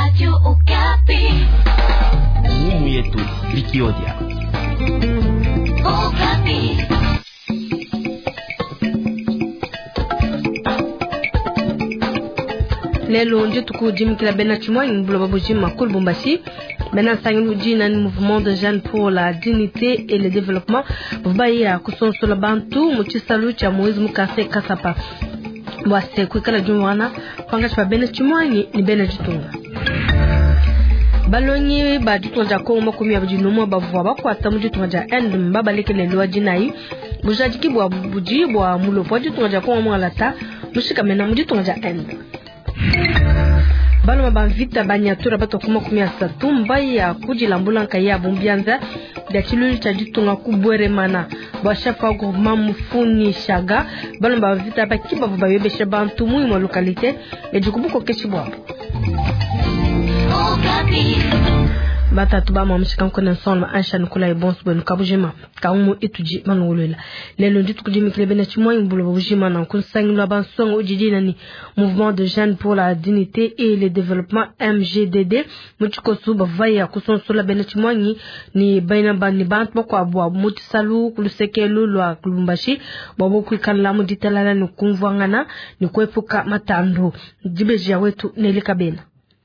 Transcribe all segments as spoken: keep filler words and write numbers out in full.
Radio Okapi. Ngumu yetu Likiodia. Okapi. Lelo ndituku dimikila bena tshimuangi mu buloba bujima ku Lubumbashi. Bena nsangilu udi ni mouvement de jeunes pour la dignité et le développement bavua baya kusonsola bantu mu tshisalu tshia Moise mu quartier Kasapa bua se kuikala diumvuangana pankatshi pa bena tshimuangi ne bena ditunga. Balongi ba ditunga dia Kongo makumi abidi n'umue bavua bakuata mu ditunga dia Inde mbabalekele lwa dinayi bujadiki bua budi bua mulopo wa ditunga dia Kongo mualata mushikamena mu ditunga dia Inde. Baloma ba mvita banyatura bato makumi asatu mbaya kudilambula nkaya bumbianza bya tshilulu tshia ditunga ku Bweremana bua chef wa groupement Mufuni Shaga. Baloma ba mvita bakiba bayobesha bantu mu imue localité edi ku bukokeshi buabu. Batatu ba mamushika nkone nsonga ansha nukula ibonso bwenu kabujima kaumu itudi manungulwela lelo ndituku dimikile bena tshimuangi buloba bujima na nkunsangilo bansonga udi nani mouvement de jeunes pour la dignité et le développement M G D D mu tshikosu bavaya kusonsola bena tshimuangi ni baina bani bantu bakuabu mu tshisalu ku lusekelu lua Lubumbashi bua kuikala mu ditalala ne kumvuangana ne kuepuka matandu. Dibeji ya wetu Nelly Kabena.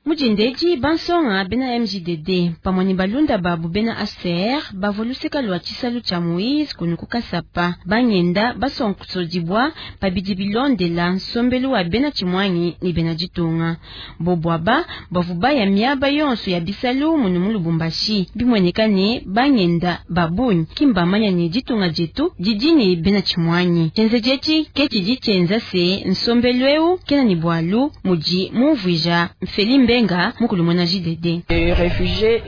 Mujindeji bansonga bena M G D D pamwe ni balunda babu bena A C R bavoluseka lwa tshisalu tsha Moise kunu ku Kasapa bangenda basonkosodibwa pabidi bilondela nsombelu wa bena tshimuangi ni bena ditunga bobwaba bavuba ya miaba yonso ya bisalu munu mu Lubumbashi bimweneka ne bangenda babunyi kimbamanya ne ditunga dietu didi ne bena tshimuangi tshienzeji ke tshidi tshienza se nsombelu eu kena ni bwalu mudi mumvuija Mfeli Mbenga mukulu mwana J D D.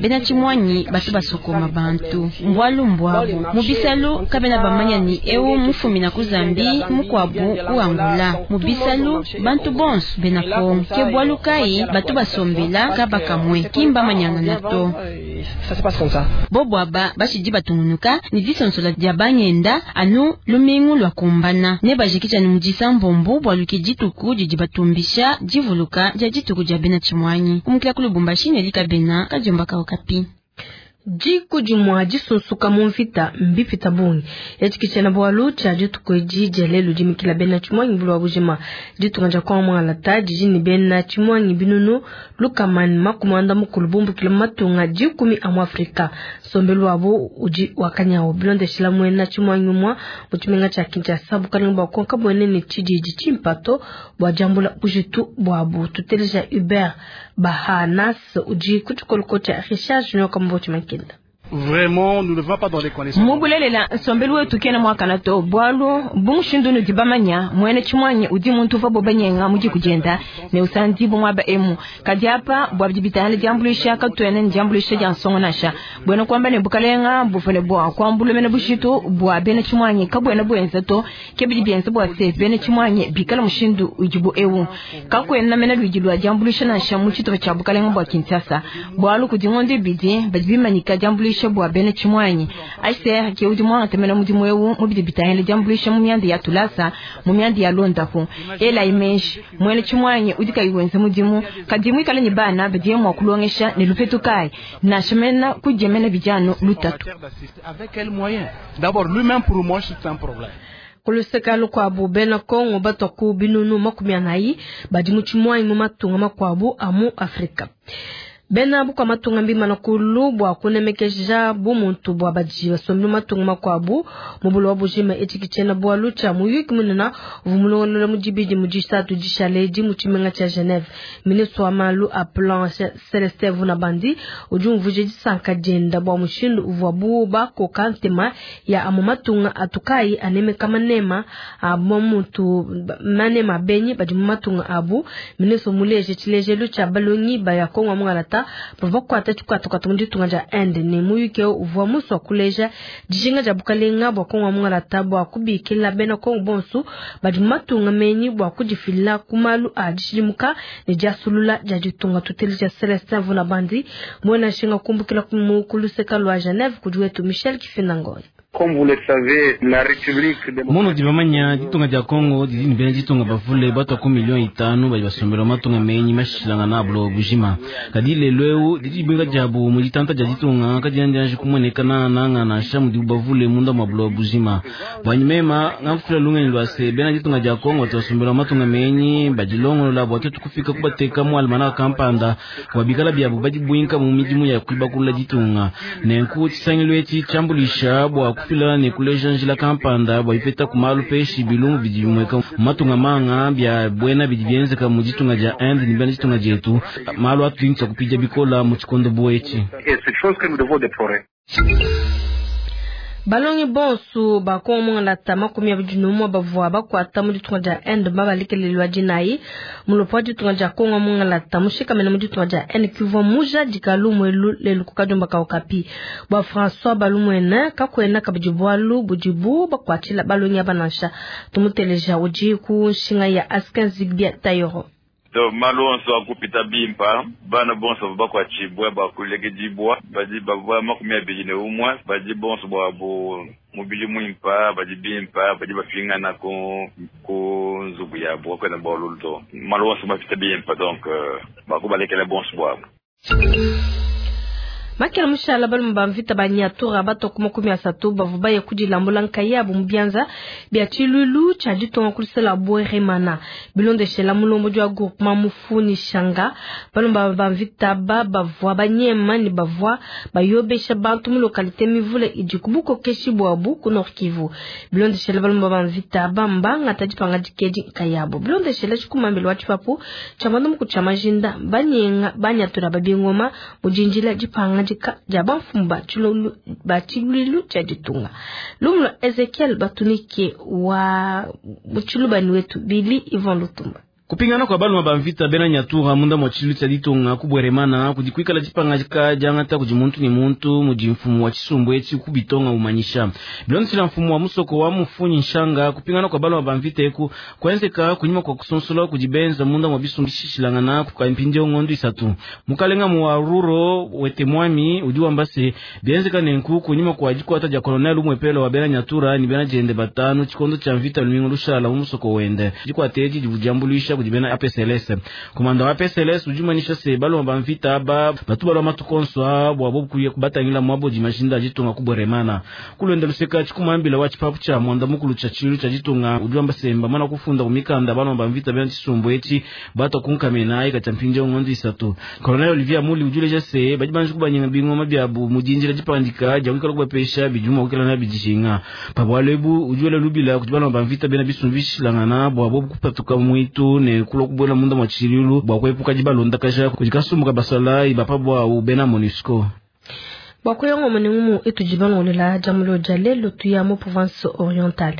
Bena tshimuangi batu basokoma bantu mbwalu mbwabu mubisalu kabena bamanya ni eu mufumina ku Zambi mukwabu ku Angola mubisalu bantu bonso bena Kongo ke bwalu kai batu basombela kabakamwe kimba manyanga nato bobwaba bashidi batungunuka ni disonsola dia bangenda anu lumingu lwa kumbana ne bajikija ni mudisa mbombo bwalu ke dituku didi batumbisha divuluka dia dituku dia bena tshimuangi kumukila ku Lubumbashi Nelly Kabena kadiomba ka Okapi. Diku dimua disunsuka mu mvita mbipita bungi etshi tshiena bualu tshia dituku edi dia lelu dimikila bena tshimuangi buloba bujima ditunga dia Kongo mualata didi ne bena tshimuangi binunu lukama ne makumi anda mukulu bumbukila mu matunga dikumi a mu Afrika. Nsombelu wabu udi wakanyawu bilondeshila muena tshimuangi umua mu tshimenga tshia Kinshasa bukalenga bua Kongo kabuena ne tshididi tshimpato bua diambula bujitu buabu. Tuteleja Hubert Bahanas udi ku tshikoloko tshia Richard Junior Kambo Tshimankenda. Vraiment, nous ne va pas dans les conditions. Mubulelela nsombelu wetu kena mwakana to bwalu bumushindu nudi bamanya mwene tshimuanyi udi muntu uva bobanyenga mudi kujenda ne usandi bumwaba emu kadi apa bwa bidi bitala diambulisha katuene ndiambulisha dia nsongo nasha bwena kwamba ne bukalenga buvune bwa kwambula mena bushitu bwa bena tshimuanyi kabwena bwenza to ke bidi bienza bwa se bena tshimuanyi bikala mushindu udibu ewu kakwena mena lwidi lwa diambulisha nasha mu tshitupa tshia bukalenga bwa Kinshasa bwalu kudi ngondo bidi badi bimanyika diambulisha bwa bena tshimuanyi A C R ke udi mwanga temena mudimu ewu mubidi bitahele diambulisha mu myanda ya tulasa mu myanda ya londapo ela imeshi mwene tshimuanyi udi kayiwenza mudimu kadi mwikale ni bana badiye mwa kulongesha ne lupetu kai na shemena kujemena bijano lutatu. Avec quel moyen? D'abord lui-même pour moi c'est un problème. Kuluseka lukuabu bena Kongo batoku binunu makumi anayi badi mu tshimuanyi mu matunga makuabu a mu Afrika. Bena bukua matunga mbimana kulu bua kunemekeja bumuntu bua badi basombi matunga makuabu mu buloba bujima etshi tshiena bualu tshia muyuki munene uvua mulongolola mu dibidi mu disatu dishale edi mu tshimenga tshia Geneve. Ministre wa malu a plan Celestin Vunabandi udi umvuija disanka dienda bua mushindu uvuabu bakoka ntema ya amu matunga atukayi anemeka manema a muntu manema benyi badi mu matunga abu. Ministre muleje tshilejelu tshia balongi ba ya Kongo mualata bavua kuata tshikuatakuata mu ditunga dia Inde ne muyuki uvua musua kuleja dijinga dia bukalenga bua Kongo mualata bua kubikila bena Kongo bonso badi mu matunga menyi bua kudifila ku malu a dishidimuka ne diasulula dia ditunga. Tuteleja Celestin Vunabandi muena nshinga kumbukila ku luseka lua Geneve kudi wetu Michel Kifinangoy. Munudi bamanya ditunga dia Kongo didi ne bena ditunga bavule batwa ku million itanu badi basombela matunga menyi mashilangana buloba bujima. Kadi lelu eu didi dibweka diabu mu ditanta dia ditunga kadiena kumueneka nangananga nansha mudibu bavule munda mwa buloba bujima. Bwanyi mema ngakufila lungenyi lwa se bena ditunga dia Kongo batu basombela matunga menyi badilongolola bua tuetu kufika kubateka mu almanaka kampanda bua bikala biabu badibwinka mu midimu ya kuibakulula ditunga. Nenku tshisangilu etshi tshiambulisha bua kufila ne kuleja njila kampanda bua ipeta ku malu peshi bilungu bidi bimweka matunga manga bya bwena bidi bienzeka mu ditunga dia Inde ne bena ditunga dietu malu atudi tshia kupidia bikola mu tshikondo buetshi. Balongi bonso bakongo makumi abidi n'umwe bavua bakuata mu ditunga dia Inde babalekelelwa dinayi mulopo wa ditunga dia Kongo mungalata mushikamene mu ditunga dia Inde kivua mujadika lumwelu lelu ku kadiomba ka Okapi bua François Balumwene kakwena kabidi bualu budibu bakuatshila balongi aba nansha tumuteleja udi ku nshinga ya Askin Zigbia Tayoro. To malu onso akupita bimpa bana bonso bakuatshibwa bakulekedibwa badi bavua makumi abidi ne umwe badi bonso bwabo mubili mwimpa badi bimpa badi bafingana ku ku nzubu yabo kwena bolulu to malu onso bapita bimpa donc bakubalekela bonso bwabo. Makela mushala balume ba mvita ba Nyatura batwa ku makumi asatu bavua baye kudilambula nkayabu mu bianza bia tshilulu tshia ditunga kulusela Bweremana bilondeshela mulombodi wa groupement Mufuni Shanga. Balume ba mvita ba bavua banyema ne bavua bayobesha bantu mu localité mivule idi ku bukokeshi bwabu ku Nord Kivu. Bilondeshela balume ba mvita ba mbangata dipanga dikedi nkayabu bilondeshela tshikumambelo wa tshipapu tshia bandu tshia majinda banyenga banyatura babingoma mujinjila dipanga dia bamfumu ba tshiluilu tshia ditunga. Lumu lwa Ezekiel Batunike wa mutshilubani wetu Billy Ivan Lutumba. Kupingana kwa baluma ba mvita bena Nyatura munda mwa tshilu tshia ditunga ku Bweremana kudi kuikala dipangadika diangata kudi muntu ne muntu mudi mfumu wa tshisumbu etshi kubitonga umanyisha bilondeshela mfumu wa musoko wa Mufunyi Nshanga. Kupingana kwa baluma ba mvita eku kuenzeka kunyima kwa kusonsola kudi benza munda mwa bisumbu bishishilangana kukampindio ngondo isatu. Mukalenga mu wa Ruro wete mwami udi wamba se bienzeka nenku kunyima kwa dikwata dia colonel umwepelo wa bena Nyatura ni bena jende batanu tshikondo tshia mvita lumingu lushala mu musoko wende dikwata edi divudiambulisha kudi bena A P S L S. Komanda wa A P S L S ujumanisha se baloma ba mvita ba batu balwa matukonso bwa bo kuye kubatangila mwabo dimajinda ditunga ku Bweremana. Kulwenda luseka tshikumambila wa tshipapu tshia mwanda mukulu tshia tshilu tshia ditunga udiwamba semba mana kufunda kumikanda baloma ba mvita bena tshisumbu etshi batwa kunkamena ika tshia mpindio ngondo isatu. Colonel Olivier Muli ujuleja se badi banji kubanyenga bingoma byabu mudinjila dipandika dia kuikala kubapesha bijuma kukela na bidijinga. Pabwalebu ujuela lubila kudi baloma ba mvita bena bisumbu bishilangana bwa bo kupatuka mwitu ne kulo kubwela munda mwa tshilulu bwa kuepuka dibalonda kaja kudi kasumbuka basala ibapa bwa ubena MONUSCO. Bwa kuyongo munengumu etujibangolela jamulo jalelo tuya mu province orientale.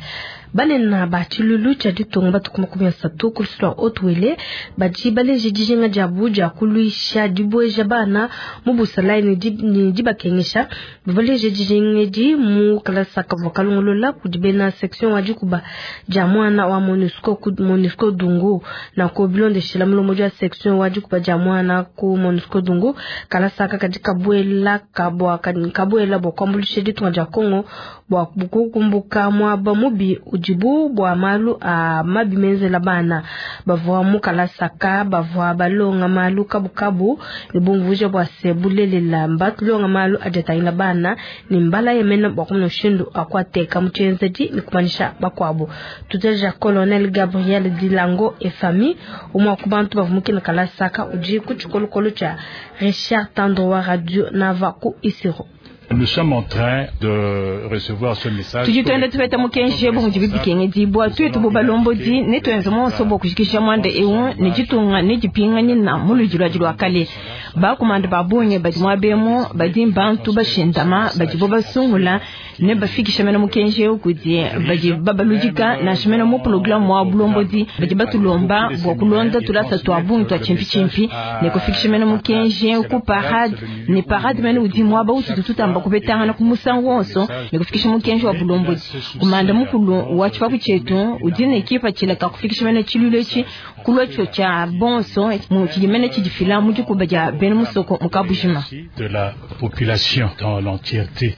Banena ba tshilulu tshia ditunga batu makumi asatu kulusula Haut-Uele badi baleje dijinga diabu dia kuluisha dibueja bana mu busalayi ne dibakengesha. Baleje dijinga edi mu kalasa kavua kalongolola kudi bena section wa dikuba dia mwana wa MONUSCO ku MONUSCO Dungu na ko bilondeshela mulombodi wa section wa dikuba dia mwana ku MONUSCO Dungu. Kalasa kadi kabuela kabwa kabuela bua kuambulisha ditunga dia Kongo bua kukumbuka mwaba mubi udibu bua malu a mabi menzela bana bavua mu kalasaka bavua balonga malu kabukabu ne bumvuja bua se bulelela mbatulonga malu adiatangila bana ne mbala yemena bua kumona mushindu akwateka mu tshienzedi ne kumanyisha bakuabu. Tuteja Colonel Gabriel Dilango et famille umwe ku bantu bavua mukina kalasaka udi ku tshikolokolo tshia Richard Tandro wa radio Nava ku Isiro. Nous sommes en train de recevoir ce message. Tudi tuenda tupeta mukenji bu mudi bikengedibwa tuetu bo balombodi ne tuenze monso bo kushikisha mwanda ewu ne ditunga ne dipinganye na muludi lwadi lwa kale. Bakumanda babonye badi mwabemo badi bantu bashindama badi bo basungula ne bafikisha mena mukenji ewu kudi badi babaludika na shimena mu programme wa bulombodi badi batulomba bwa kulonda tulasa twa bungi twa chimpi chimpi ne kufikisha mena mukenji ku parade ne parade mena udi mwaba ututu tutamba kubetangana ku musango wonso ne kufikisha mukenji wa bulombodi. Kumanda mukulu wa tshipapu tshietu udi ne kipa tshilaka kufikisha mena tshilulu etshi kulwa tsho tshia bonso mu tshidimene tshidifila mu dikuba dia bena musoko mu kabujima de la population dans l'entièreté.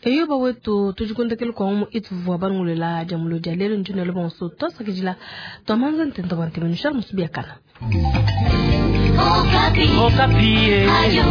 Eyo bawetu tujikundekele kwa umu ituvua bangulela jamulo dia lelo njinelo bonso twasakidila twamanza ntenta bwa ntemenu Charles Musubiakana. Okapi. Okapi. Ayo.